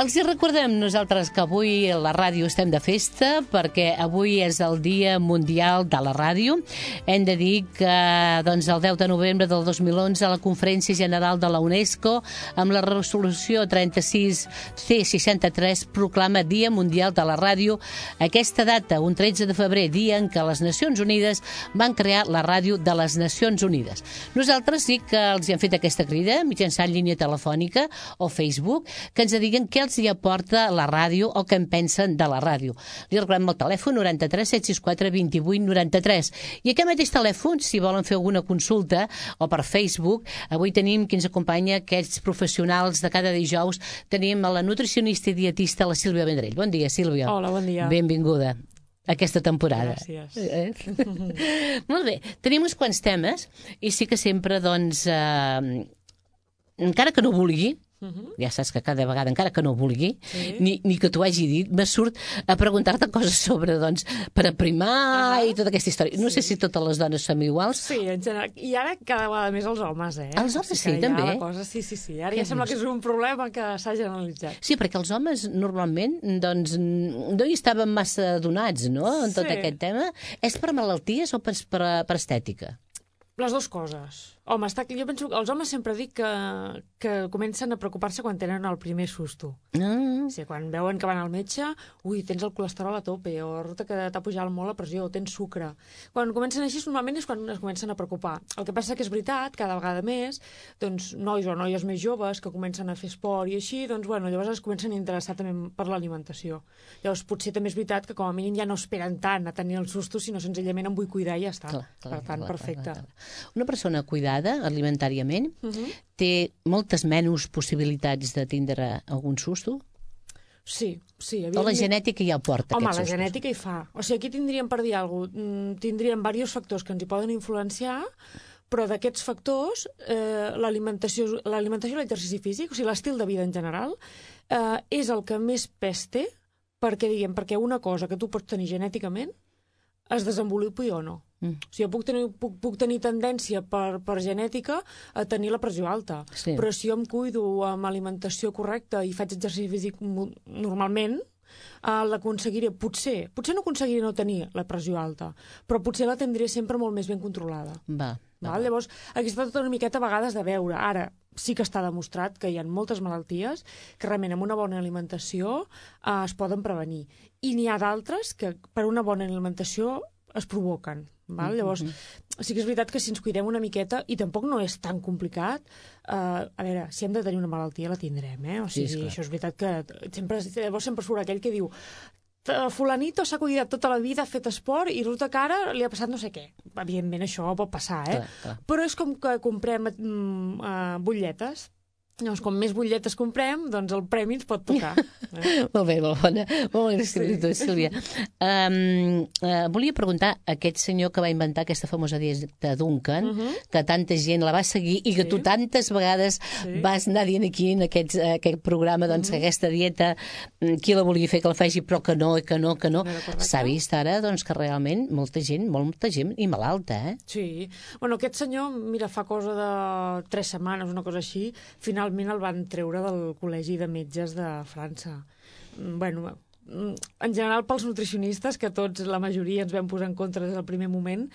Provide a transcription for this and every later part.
Els hi recordem nosaltres que avui a la ràdio estem de festa perquè avui és el Dia Mundial de la Ràdio. Hem de dir que el 10 de novembre del 2011 a la Conferència General de la UNESCO amb la resolució 36C63 proclama Dia Mundial de la Ràdio. Aquesta data, un 13 de febrer, dia en què les Nacions Unides van crear la Ràdio de les Nacions Unides. Nosaltres sí que els hi hem fet aquesta crida mitjançant línia telefònica o Facebook, que ens diguen què els hi aporta la ràdio o què en pensen de la ràdio. Li recordem el telèfon 93 764 28 93. I aquest mateix telèfon, si volen fer alguna consulta o per Facebook, avui tenim qui ens acompanya, aquests professionals de cada dijous. Tenim a la nutricionista i dietista, la Sílvia Vendrell. Bon dia, Sílvia. Hola, bon dia. Benvinguda aquesta temporada. Gràcies. Molt bé, tenim uns quants temes i sí que sempre, encara que no vulgui, ja saps que cada vegada, encara que no vulgui, ni que t'ho hagi dit, me surt a preguntar-te coses sobre, per aprimar i tota aquesta història. No sé si totes les dones som iguals. Sí, en general. I ara cada vegada més els homes, eh? Els homes sí, també? Sí. Ara ja sembla que és un problema que s'ha generalitzat. Sí, perquè els homes normalment, no hi estaven massa donats, no?, en tot aquest tema. És per malalties o per estètica? Les dues coses. Home, jo penso que els homes sempre dic que comencen a preocupar-se quan tenen el primer susto. O sigui, quan veuen que van al metge, tens el colesterol a tope, o resulta que t'ha pujat molt la pressió, o tens sucre. Quan comencen així, normalment és quan es comencen a preocupar. El que passa que és veritat, cada vegada més, nois o noies més joves que comencen a fer esport i així, llavors es comencen a interessar també per l'alimentació. Llavors, potser també és veritat que com a mínim ja no esperen tant a tenir el susto, sinó senzillament em vull cuidar i ja està. Per tant, perfecte. Una persona cuidada alimentàriament té moltes menys possibilitats de tindre algun susto? Sí. O la genètica ja porta aquests sustos? Home, la genètica hi fa. O sigui, aquí tindríem, per dir alguna cosa, tindríem diversos factors que ens hi poden influenciar, però d'aquests factors, l'alimentació i l'exercici físic, o sigui, l'estil de vida en general, és el que més pes té perquè una cosa que tu pots tenir genèticament es desenvolupi o no. O sigui, puc tenir tendència per genètica a tenir la pressió alta, però si jo em cuido amb alimentació correcta i faig exercici físic normalment, l'aconseguiré, potser no aconseguiré no tenir la pressió alta, però potser la tindré sempre molt més ben controlada. Llavors, aquí està tot una miqueta a vegades de veure. Ara, sí que està demostrat que hi ha moltes malalties que realment amb una bona alimentació es poden prevenir. I n'hi ha d'altres que per una bona alimentació es provoquen. Llavors, sí que és veritat que si ens cuidem una miqueta, i tampoc no és tan complicat, a veure, si hem de tenir una malaltia la tindrem, O sigui, això és veritat que llavors sempre surt aquell que diu fulanito s'ha cuidat tota la vida, ha fet esport i resulta que ara li ha passat no sé què. Evidentment això pot passar, Però és com que comprem butlletes. Llavors, com més butlletes comprem, doncs el premi ens pot tocar. Molt bé, molt bona. Molt gràcies, Sílvia. Volia preguntar a aquest senyor que va inventar aquesta famosa dieta Duncan, que tanta gent la va seguir i que tu tantes vegades vas anar dient aquí en aquest programa que aquesta dieta, qui la volia fer que la faci, però que no. S'ha vist ara que realment molta gent i malalta, Sí. Aquest senyor, mira, fa cosa de 3 setmanes, una cosa així, finalment el van treure del Col·legi de Metges de França. En general pels nutricionistes, que tots, la majoria, ens vam posar en contra des del primer moment,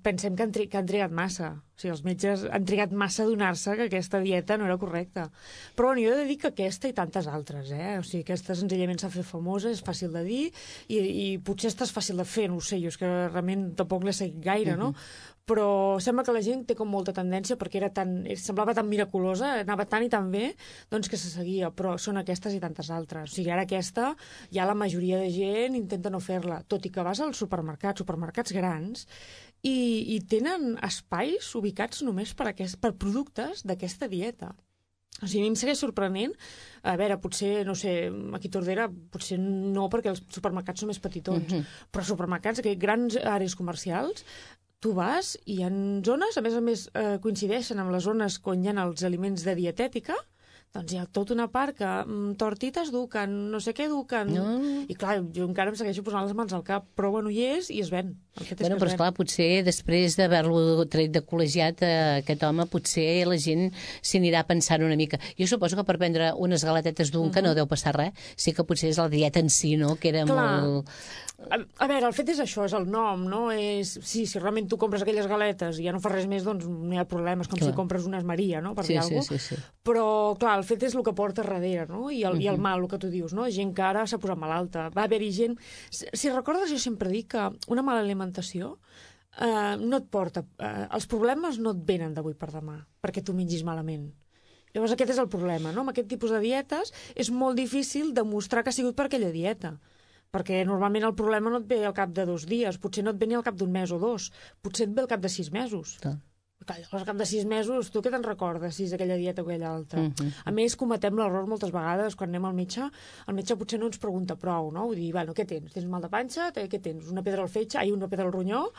pensem que han trigat massa. O sigui, els metges han trigat massa a adonar-se que aquesta dieta no era correcta. Però jo he de dir que aquesta i tantes altres, O sigui, aquesta senzillament s'ha fet famosa, és fàcil de dir, i potser esta és fàcil de fer, no ho sé, jo és que realment tampoc l'he seguit gaire, no? Però sembla que la gent té com molta tendència, perquè semblava tan miraculosa, anava tan i tan bé, que se seguia, però són aquestes i tantes altres. O sigui, ara aquesta, ja la majoria de gent intenta no fer-la, tot i que vas als supermercats grans, i tenen espais ubicats només per productes d'aquesta dieta. O sigui, a mi em segueix sorprenent. A veure, potser, no sé, aquí a Tordera, potser no, perquè els supermercats són més petitons, però supermercats, grans àrees comercials, tu vas i hi ha zones, a més, coincideixen amb les zones on hi ha els aliments de dietètica, Doncs hi ha tota una part que tortites duquen, no sé què duquen... I clar, jo encara em segueixo posant les mans al cap, però bueno, hi és i es ven. Bueno, però esclar, potser després d'haver-lo tret de col·legiat, aquest home, potser la gent s'hi anirà pensant una mica. Jo suposo que per prendre unes galetetes Duncan no deu passar res, sí que potser és la dieta en si, no?, que era molt... A veure, el fet és això, és el nom, no? Si realment tu compres aquelles galetes i ja no fas res més, doncs no hi ha problemes, com si compres unes Maria, no?, per dir alguna cosa. Sí. Però, clar, el fet és el que porta darrere, no?, i el mal, el que tu dius, no? Gent que ara s'ha posat malalta. Va haver-hi gent... Si recordes, jo sempre dic que una mala alimentació no et porta... els problemes no et venen d'avui per demà, perquè tu mengis malament. Llavors aquest és el problema, no? Amb aquest tipus de dietes és molt difícil demostrar que ha sigut per aquella dieta. Perquè normalment el problema no et ve al cap de 2 dies, potser no et ve ni al cap d'1 mes o 2, potser et ve al cap de 6 mesos. Clar, al cap de 6 mesos, tu què te'n recordes, si és aquella dieta o aquella altra? A més, cometem l'error moltes vegades quan anem al metge potser no ens pregunta prou, no? Vull dir, bueno, què tens? Tens mal de panxa? Què tens? Una pedra al fetge? Una pedra al ronyó?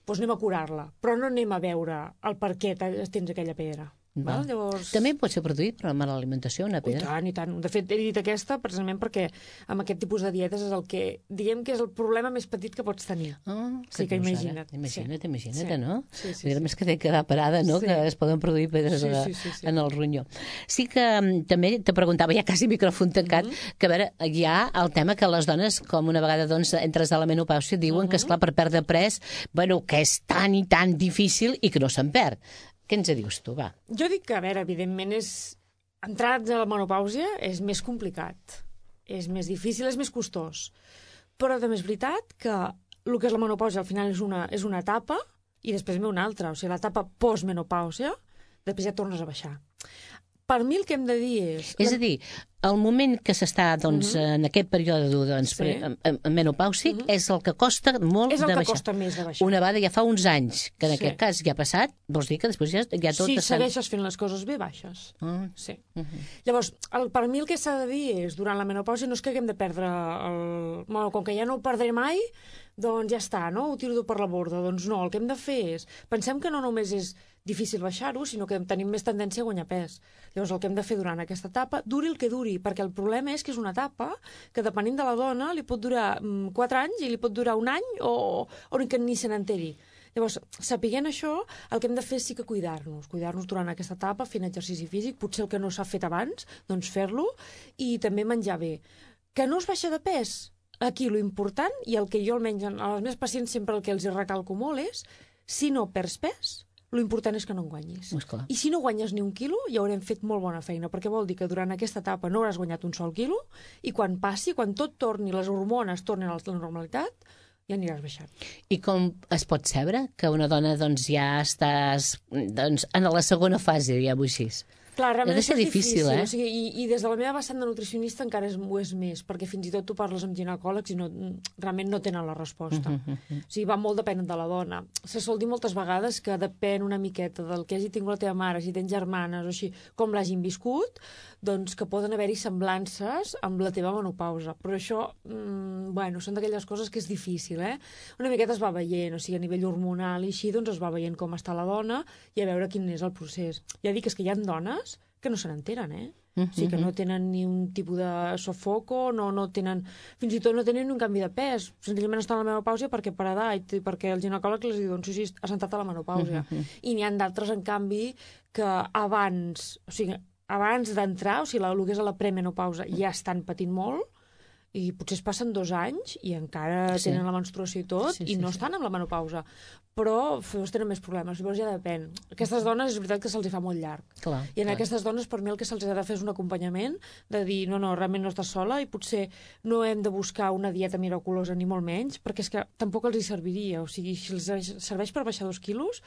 Doncs anem a curar-la. Però no anem a veure el per què tens aquella pedra. Llavors... També pot ser produït per la mala alimentació, una pedra? I tant. De fet, he dit aquesta precisament perquè amb aquest tipus de dietes és el que, diguem que és el problema més petit que pots tenir. Sí que imagina't. Imagina't, no? Sí. Més que té que quedar parada, no? Que es poden produir pedres en el ronyó. Sí que també te preguntava, ja quasi micròfon tancat, que a veure, hi ha el tema que les dones, com una vegada entres a la menopàusia, diuen que, esclar, per perdre pes, bueno, que és tan i tan difícil i que no se'n perd. Què ens dius tu, va? Jo dic que, a veure, evidentment entrar a la menopàusia és més complicat, és més difícil, és més costós. Però també és veritat que el que és la menopàusia al final és una etapa i després ve una altra. O sigui, l'etapa postmenopàusia, després ja tornes a baixar. Per mi el que hem de dir és... És a dir, el moment que s'està en aquest període menopàusic és el que costa molt de baixar. És el que costa més de baixar. Una vegada ja fa uns anys, que en aquest cas ja ha passat, vols dir que després ja tot... Si segueixes fent les coses bé, baixes. Sí. Llavors, per mi el que s'ha de dir és, durant la menopàusia no és que haguem de perdre Bueno, com que ja no ho perdré mai, doncs ja està, no? Ho tiro per la borda. Doncs no, el que hem de fer és... Pensem que no només és difícil baixar-ho, sinó que tenim més tendència a guanyar pes. Llavors, el que hem de fer durant aquesta etapa, duri el que duri, perquè el problema és que és una etapa que, depenent de la dona, li pot durar 4 anys i li pot durar 1 any o que ni se n'enteri. Llavors, sapiguent això, el que hem de fer sí que cuidar-nos durant aquesta etapa, fent exercici físic, potser el que no s'ha fet abans, doncs fer-lo, i també menjar bé. Que no es baixa de pes? Aquí, lo important, i el que jo almenys a les meves pacients sempre el que els recalco molt és, si no perds pes, lo important és que no en guanyis. I si no guanyes ni 1 quilo, ja haurem fet molt bona feina, perquè vol dir que durant aquesta etapa no hauràs guanyat un sol quilo, i quan passi, quan tot torni, les hormones tornin a la normalitat, ja aniràs baixant. I com es pot saber que una dona ja estàs en la segona fase, diguem-ho així? Clar, realment és difícil, eh? O sigui, i des de la meva vessant de nutricionista encara ho és més, perquè fins i tot tu parles amb ginecòlegs i realment no tenen la resposta. O sigui, va molt depèn de la dona. Se sol dir moltes vegades que depèn una miqueta del que hagi tingut la teva mare, si tens germanes o així, com l'hagin viscut, doncs que poden haver-hi semblances amb la teva menopausa. Però això, bueno, són d'aquelles coses que és difícil, eh? Una miqueta es va veient, o sigui, a nivell hormonal i així, doncs es va veient com està la dona i a veure quin és el procés. Ja dic, és que hi ha dones que no se n'enteren, eh? O sigui, que no tenen ni un tipus de sofoco, no tenen... Fins i tot no tenen ni un canvi de pes. Senzillament estan a la menopàusia perquè per edat i perquè el ginecòleg els diu, doncs sí, has entrat a la menopàusia. I n'hi ha d'altres, en canvi, que abans d'entrar, o sigui, el que és a la premenopausa, ja estan patint molt, i potser es passen 2 anys i encara tenen la menstruació i tot, i no estan amb la menopausa. Però tenen més problemes, llavors ja depèn. Aquestes dones és veritat que se'ls fa molt llarg. I en aquestes dones, per mi, el que se'ls ha de fer és un acompanyament, de dir, no, realment no estàs sola, i potser no hem de buscar una dieta miraculosa, ni molt menys, perquè és que tampoc els hi serviria. O sigui, si els serveix per baixar 2 quilos,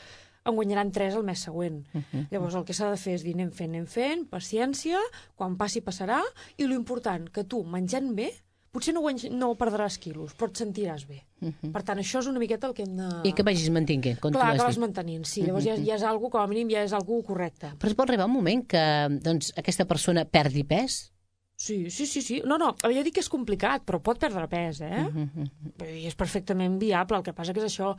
en guanyaran 3 el mes següent. Llavors, el que s'ha de fer és dir, anem fent, paciència, quan passi passarà, i l'important, que tu, menjant bé, potser no perdràs quilos, però et sentiràs bé. Per tant, això és una miqueta el que hem de... I que vagis mantenint, com tu has dit. Clar, que vas dit. Mantenint, sí. Llavors ja és algo, com a mínim, ja és algo correcte. Però es pot arribar un moment que aquesta persona perdi pes? Sí. No, jo dic que és complicat, però pot perdre pes, eh? I és perfectament viable. El que passa que és això...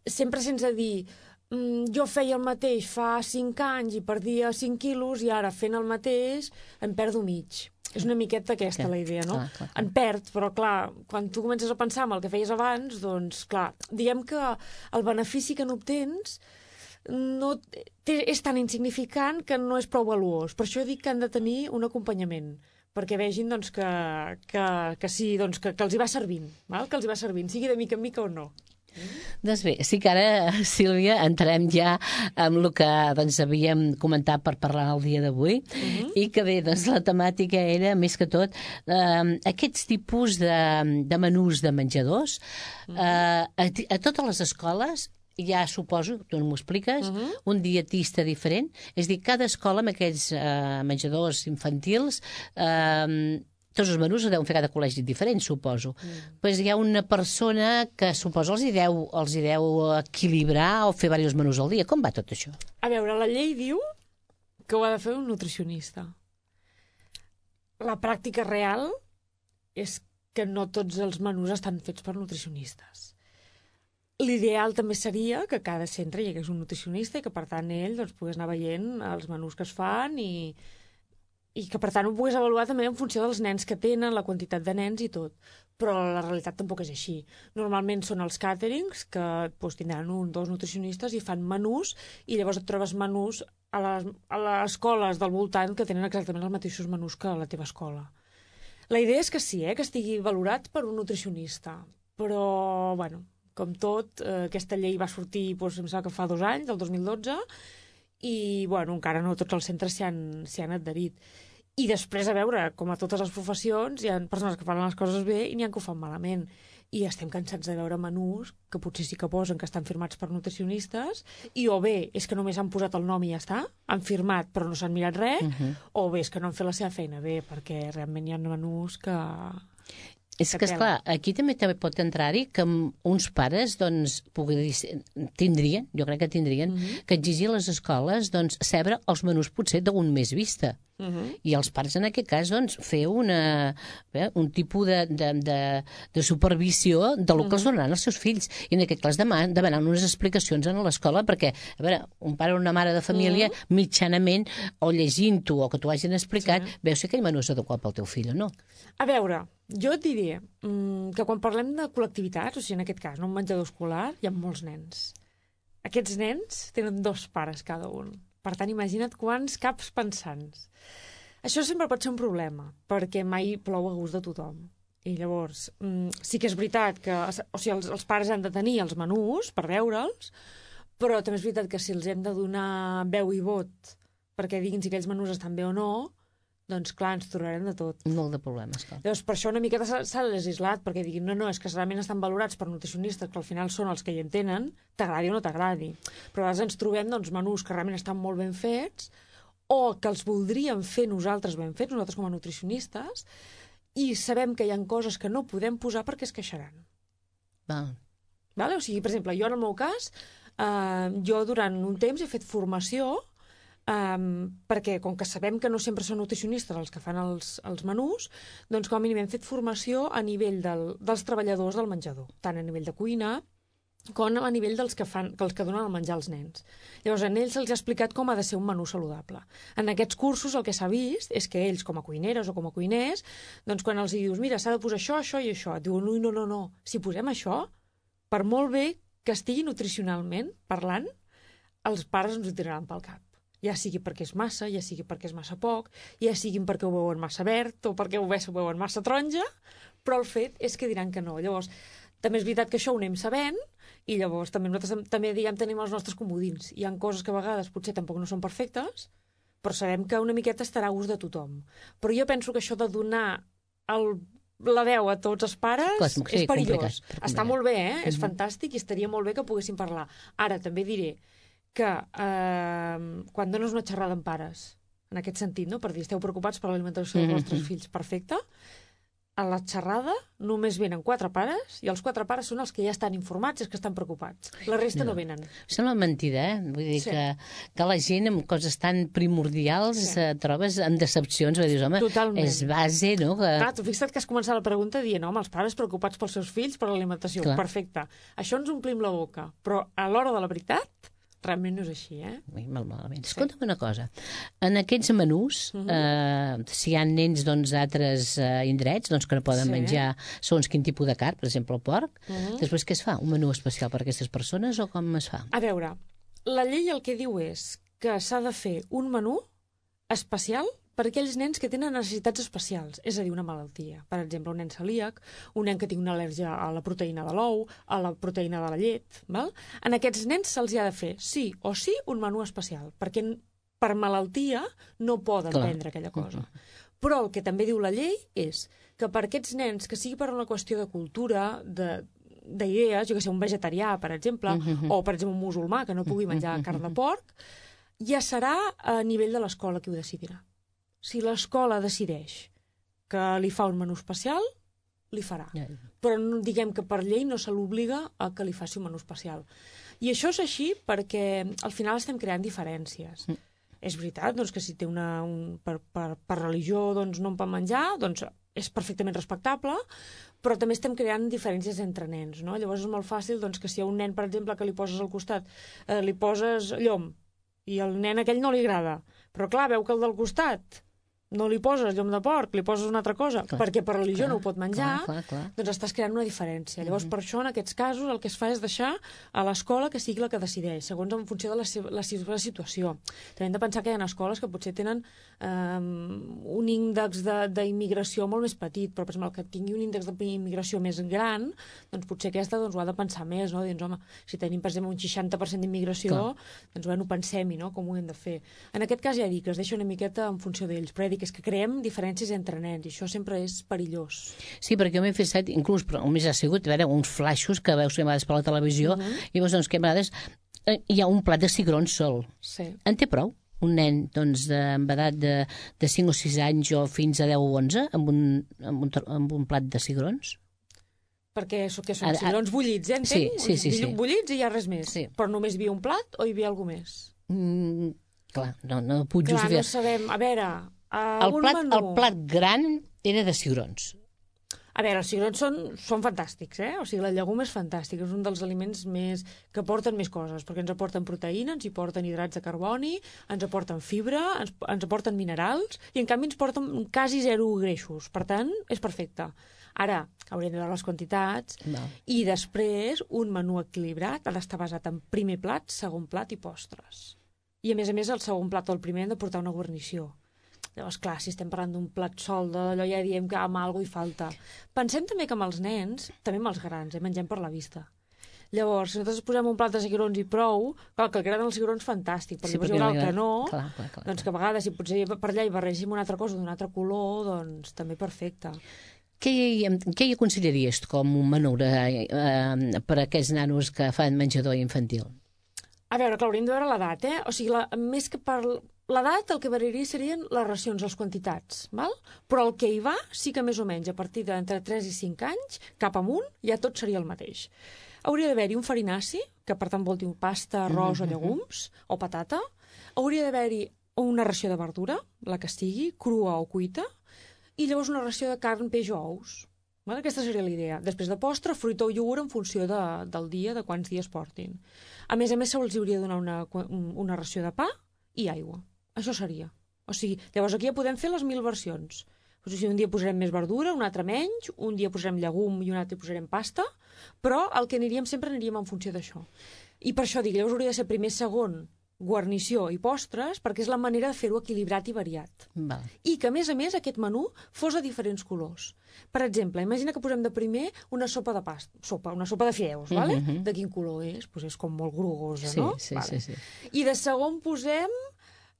Sempre sense dir... jo feia el mateix fa 5 anys i perdia 5 quilos i ara fent el mateix en perdo mig. És una miqueta aquesta la idea, no? Clar. En perd, però clar, quan tu comences a pensar en el que feies abans, doncs clar, diguem que el benefici que n'obtens és tan insignificant que no és prou valuós. Per això dic que han de tenir un acompanyament, perquè vegin doncs, que sí, doncs, que els hi va servint, val? Que els hi va servint, sigui de mica en mica o no. Doncs bé, sí que ara, Sílvia, entrarem ja amb el que doncs, havíem comentat per parlar el dia d'avui i que bé, doncs, la temàtica era, més que tot, aquests tipus de menús de menjadors a totes les escoles. Ja suposo, tu m'ho expliques, un dietista diferent. És a dir, cada escola amb aquests menjadors infantils, tots els menús ho deuen fer cada col·legi diferent, suposo. Pues hi ha una persona que suposo els hi deu equilibrar o fer diversos menús al dia. Com va tot això? A veure, la llei diu que ho ha de fer un nutricionista. La pràctica real és que no tots els menús estan fets per nutricionistes. L'ideal també seria que a cada centre hi hagués un nutricionista i que, per tant, ell doncs, pogués anar veient els menús que es fan i que, per tant, ho pogués avaluar també en funció dels nens que tenen, la quantitat de nens i tot. Però la realitat tampoc és així. Normalment són els càterings que doncs, tindran 1 o 2 nutricionistes i fan menús i llavors et trobes menús a les escoles del voltant que tenen exactament els mateixos menús que a la teva escola. La idea és que sí, que estigui valorat per un nutricionista. Però, bueno, com tot, aquesta llei va sortir, doncs, em sembla que fa 2 anys, del 2012, i, bueno, encara no tots els centres s'hi han adherit. I després, a veure, com a totes les professions, hi ha persones que fan les coses bé i n'hi ha que ho fan malament. I estem cansats de veure menús que potser sí que posen que estan firmats per nutricionistes i o bé és que només han posat el nom i ja està, han firmat però no s'han mirat res, o bé és que no han fet la seva feina bé, perquè realment hi ha menús que... És que, esclar, aquí també pot entrar-hi que uns pares doncs, tindrien, jo crec que tindrien, que exigir a les escoles doncs, saber els menús potser d'un mes vista. I els pares, en aquest cas, doncs, fer un tipus de supervisió del que els donaran els seus fills. I en aquest cas demanar unes explicacions a l'escola, perquè, a veure, un pare o una mare de família, mitjanament, o llegint-ho o que t'ho hagin explicat, veus si aquell menú és adequat pel teu fill o no. A veure, jo et diré que quan parlem de col·lectivitats, o sigui, en aquest cas, no un menjador escolar, hi ha molts nens. Aquests nens tenen 2 pares cada un. Per tant, imagina't quants caps pensants. Això sempre pot ser un problema, perquè mai plou a gust de tothom. I llavors, sí que és veritat que els pares han de tenir els menús per veure'ls, però també és veritat que si els hem de donar veu i vot perquè diguin si aquells menús estan bé o no, doncs clar, ens trobarem de tot. Molt de problemes, clar. Llavors, per això una miqueta s'ha legislat, perquè diguin, no, és que realment estan valorats per nutricionistes, que al final són els que hi entenen, t'agradi o no t'agradi. Però a vegades ens trobem doncs, menús que realment estan molt ben fets, o que els voldríem fer nosaltres ben fets, nosaltres com a nutricionistes, i sabem que hi ha coses que no podem posar perquè es queixaran. Vale? O sigui, per exemple, jo en el meu cas, jo durant un temps he fet formació perquè com que sabem que no sempre són nutricionistes els que fan els menús, doncs com a mínim hem fet formació a nivell dels treballadors del menjador, tant a nivell de cuina com a nivell dels que donen el menjar als nens. Llavors, a ells se'ls ha explicat com ha de ser un menú saludable. En aquests cursos el que s'ha vist és que ells, com a cuineres o com a cuiners, doncs quan els dius, mira, s'ha de posar això, això i això, et diuen, no, si posem això, per molt bé que estigui nutricionalment parlant, els pares ens ho tiraran pel cap. Ja sigui perquè és massa, ja sigui perquè és massa poc, ja siguin perquè ho veuen massa verd o perquè ho veuen massa taronja, però el fet és que diran que no. Llavors, també és veritat que això ho anem sabent i llavors també nosaltres tenim els nostres comodins. Hi ha coses que a vegades potser tampoc no són perfectes, però sabem que una miqueta estarà a gust de tothom. Però jo penso que això de donar la veu a tots els pares és perillós. Està molt bé, és fantàstic i estaria molt bé que poguessin parlar. Ara, també diré que quan dones una xerrada amb pares, en aquest sentit, no? Per dir, esteu preocupats per l'alimentació dels vostres fills, perfecte, a la xerrada només venen 4 pares i els 4 pares són els que ja estan informats i els que estan preocupats. La resta no venen. Sembla mentida, Vull dir que la gent amb coses tan primordials trobes en decepcions, dius, home, és base, no? Clar, tu fixa't que has començat la pregunta dient, home, els pares preocupats pels seus fills per l'alimentació. Perfecte. Això ens omplim la boca, però a l'hora de la veritat realment no és així, Molt malament. Escolta'm una cosa. En aquests menús, si hi ha nens d'altres indrets que no poden menjar segons quin tipus de carn, per exemple el porc, després què es fa? Un menú especial per a aquestes persones o com es fa? A veure, la llei el que diu és que s'ha de fer un menú especial per a aquells nens que tenen necessitats especials, és a dir, una malaltia. Per exemple, un nen celíac, un nen que té una al·lèrgia a la proteïna de l'ou, a la proteïna de la llet. Val? En aquests nens se'ls ha de fer sí o sí un menú especial, perquè per malaltia no poden prendre aquella cosa. Però el que també diu la llei és que per aquests nens, que sigui per una qüestió de cultura, d'idees, jo que sé, un vegetarià, per exemple, o, per exemple, un musulmà que no pugui menjar carn de porc, ja serà a nivell de l'escola qui ho decidirà. Si l'escola decideix que li fa un menú especial, li farà. Però diguem que per llei no se l'obliga a que li faci un menú especial. I això és així perquè al final estem creant diferències. És veritat que si té per religió no en pot menjar, és perfectament respectable, però també estem creant diferències entre nens. No? Llavors és molt fàcil que si a un nen, per exemple, que li poses al costat, li poses llom, i al nen aquell no li agrada, però clar, veu que el del costat no li poses llom de porc, li poses una altra cosa, perquè per religió no ho pot menjar, doncs estàs creant una diferència. Llavors, per això, en aquests casos, el que es fa és deixar a l'escola que sigui la que decideix, segons en funció de la seva situació. També hem de pensar que hi ha escoles que potser tenen un índex d'immigració molt més petit, però, per exemple, el que tingui un índex d'immigració més gran, doncs potser aquesta ho ha de pensar més, no? Doncs, home, si tenim, per exemple, un 60% d'immigració, doncs, bueno, pensem-hi, no?, com ho hem de fer. En aquest cas, ja dic, es deixa una miqueta en funció d'ells, però és que creem diferències entre nens i això sempre és perillós. Sí, perquè jo m'he fet inclús, però només ha sigut uns flaixos que veus que a vegades per la televisió i veus que a vegades hi ha un plat de cigrons sol. Sí. En té prou? Un nen amb edat de 5 o 6 anys o fins a 10 o 11 amb un plat de cigrons? Perquè són cigrons bullits, entenc? Sí. Bullits i ja res més. Sí. Però només hi havia un plat o hi havia alguna més? Clar, no puc justificar. Clar, no sabem. A veure... El plat gran era de cigrons. A veure, els cigrons són fantàstics, O sigui, la llegum és fantàstic, és un dels aliments que aporten més coses, perquè ens aporten proteïna, ens hi porten hidrats de carboni, ens aporten fibra, ens aporten minerals, i en canvi ens porten quasi 0 greixos. Per tant, és perfecte. Ara, hauríem de veure les quantitats, i després un menú equilibrat ha d'estar basat en primer plat, segon plat i postres. I, a més, el segon plat o el primer han de portar una guarnició. Llavors, clar, si estem parlant d'un plat sol d'allò ja diem que amb alguna cosa hi falta. Pensem també que amb els nens, també amb els grans, mengem per la vista. Llavors, si nosaltres posem un plat de cigrons i prou, clar, que agraden els cigrons, fantàstic, però llavors hi haurà el que no, doncs que a vegades, si potser per allà hi barregim una altra cosa d'un altre color, doncs també perfecte. Què hi aconsellaries com un menú per a aquests nanos que fan menjador infantil? A veure, clar, hauríem de veure l'edat, O sigui, més que per l'edat, el que variaria serien les racions, les quantitats, val? Però el que hi va, sí que més o menys, a partir d'entre 3 i 5 anys, cap amunt, ja tot seria el mateix. Hauria d'haver-hi un farinaci, que per tant vol dir pasta, arròs o llegums, o patata. Hauria d'haver-hi una ració de verdura, la que sigui, crua o cuita, i llavors una ració de carn, peix o ous. Aquesta seria la idea. Després de postre, fruita o iogurt en funció del dia, de quants dies portin. A més, se'ls hauria de donar una ració de pa i aigua. Això seria. O sigui, llavors aquí ja podem fer les 1000 versions. O sigui, un dia posarem més verdura, un altre menys, un dia posarem llegum i un altre posarem pasta, però el que sempre aniríem en funció d'això. I per això dic, llavors hauria de ser primer, segon, guarnició i postres, perquè és la manera de fer-ho equilibrat i variat. Val. I que, a més, aquest menú fos de diferents colors. Per exemple, imagina que posem de primer una sopa de una sopa de fideus, vale? De quin color és? Pues és com molt grogosa, no? Sí. I de segon posem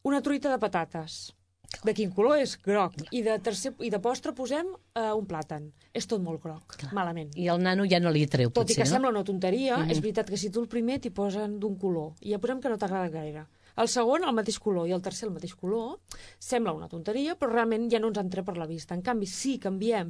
una truita de patates. De quin color és? Groc. I de postre posem un plàtan. És tot molt groc. Clar. Malament. I el nano ja no li treu, potser, tot i que sembla una tonteria, és veritat que si tu el primer t'hi posen d'un color, i ja posem que no t'agrada gaire. El segon, el mateix color, i el tercer, el mateix color. Sembla una tonteria, però realment ja no ens entra per la vista. En canvi, si canviem,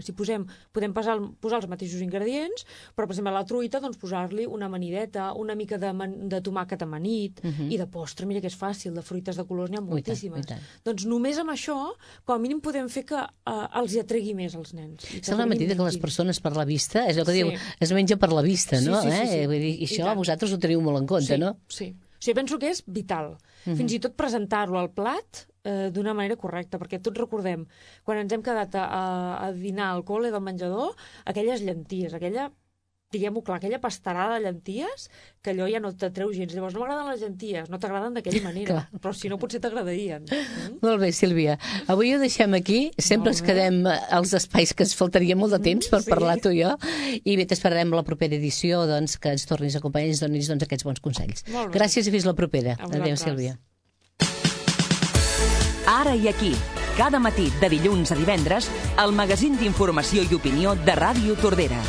podem posar els mateixos ingredients, però, per exemple, a la truita, doncs, posar-li una amanideta, una mica de tomàquet amanit, i de postre, mira que és fàcil, de fruites de colors n'hi ha moltíssimes. Doncs només amb això, com a mínim podem fer que els hi atregui més als nens. Sembla mentida que les persones per la vista, és el que diu, es menja per la vista, no? Sí. Vull dir, això vosaltres ho teniu molt en compte, no? Sí. O sigui, penso que és vital. Fins i tot presentar-lo al plat d'una manera correcta, perquè tots recordem, quan ens hem quedat a dinar al col·le del menjador, aquelles llenties, diguem-ho clar, aquella pastarada de llenties, que allò ja no t'atreu gens. Llavors, no m'agraden les llenties, no t'agraden d'aquella manera, però si no potser t'agradarien. Molt bé, Sílvia. Avui ho deixem aquí. Sempre ens quedem als espais que ens faltaria molt de temps per parlar tu i jo. I bé, t'esperarem la propera edició, doncs, que ens tornis a acompanyar i ens donis aquests bons consells. Gràcies i fins la propera. Adéu, Sílvia. Ara i aquí, cada matí de dilluns a divendres, el magazín d'informació i opinió de Ràdio Tordera.